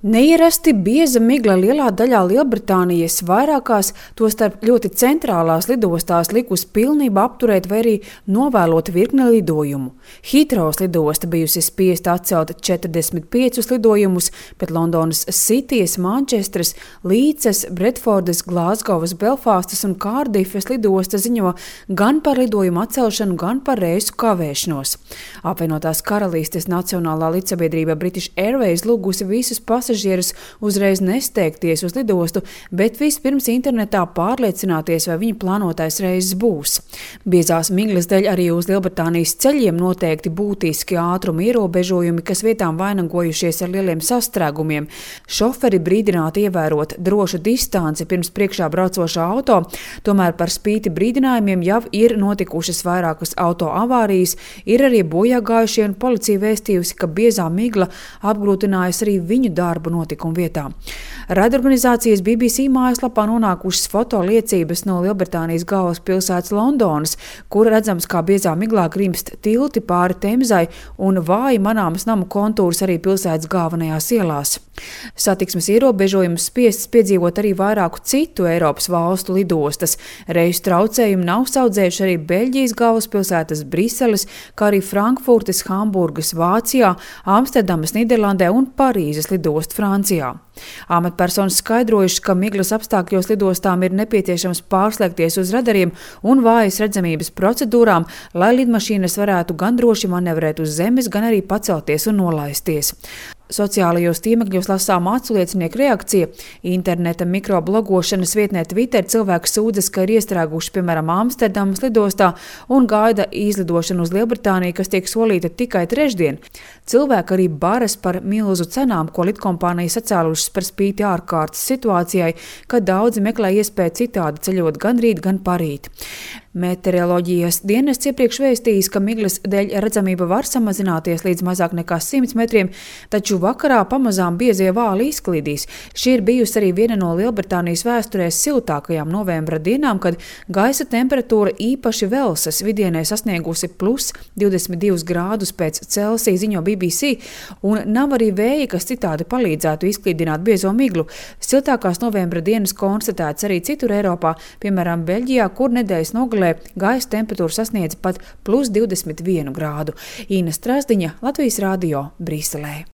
Neierasti bieza migla lielā daļā Lielbritānijas vairākās, tostarp ļoti centrālās lidostās likusi pilnībā apturēt vai arī novēlot virkni lidojumu. Heathrows lidosta bijusi spiesta atcelt 45 lidojumus, bet Londonas Citys, Mančestras, Līces, Bredfordas, Glāzgovas, Belfastas un Kārdifas lidosta ziņo gan par lidojumu atcelšanu, gan par reisu kavēšanos. Apvienotās Karalistes Nacionālā līdzsabiedrība British Airways lūgusi visus pasažierus uzreiz nesteigties uz lidostu, bet vispirms internetā pārliecināties, vai viņa plānotais reizes būs. Biezās miglas dēļ arī uz Lielbritānijas ceļiem noteikti būtiski ātruma ierobežojumi, kas vietām vainagojušies ar lieliem sastrēgumiem. Šoferi brīdināti ievērot drošu distanci pirms priekšā braucošā auto, tomēr par spīti brīdinājumiem jau ir notikušas vairākas auto avārijas, ir arī bojāgājušie un policija vēstījusi, ka biezā migla apgrūtinājusi arī viņu darbu notikumu vietā. Raidorganizācijas BBC mājaslapā nonākušas fotoliecības no Lielbritānijas galvaspilsētas Londonas, kur redzams, kā biezā miglā grimst tilti pāri Temzai un vāji manāmas namu kontūras arī pilsētas galvenajās ielās. Satiksmes ierobežojumus spiestas piedzīvot arī vairāku citu Eiropas valstu lidostas. Reisu traucējumi nav saudzējuši arī Beļģijas galvaspilsētas Briseles, kā arī Frankfurtes, Hamburgas Vācijā, Amsterdamas Nīderlandē un Parīzes lidosta Francijā. Amatpersonas skaidrojušas, ka miglas apstākļos lidostām ir nepieciešams pārslēgties uz radariem un vājas redzamības procedūrām, lai lidmašīnas varētu gan droši manevrēt uz zemes, gan arī pacelties un nolaisties. Sociālajos tīmekļos lasām aculiecinieku reakcija. Interneta mikroblogošanas vietnē Twitter cilvēki sūdzas, ka ir iestrēguši, piemēram, Amsterdamas lidostā un gaida izlidošanu uz Lielbritāniju, kas tiek solīta tikai trešdien. Cilvēki arī baras par milzu cenām, ko lidkompānijas sacēlušas par spīti ārkārtas situācijai, kad daudzi meklē iespēju citādi ceļot gan rīt, gan parīt. Meteoroloģijas dienests iepriekš vēstījis, ka miglas dēļ redzamība var samazināties līdz mazāk nekā 100 metriem, taču vakarā pamazām biezie vāli izklīdīs. Šī ir bijusi arī viena no Lielbritānijas vēsturē siltākajām novembra dienām, kad gaisa temperatūra īpaši Velsas vidienē sasniegusi plus 22 grādus pēc Celsija, ziņo BBC, un nav arī vēja, kas citādi palīdzētu izklīdināt biezo miglu. Siltākās novembra dienas konstatēts arī citur Eiropā, piemēram, Beļģijā, kur nedēļas nogalē gaisa temperatūra sasniedz pat plus 21 grādu. Ina Strasdiņa, Latvijas Radio, Briselē.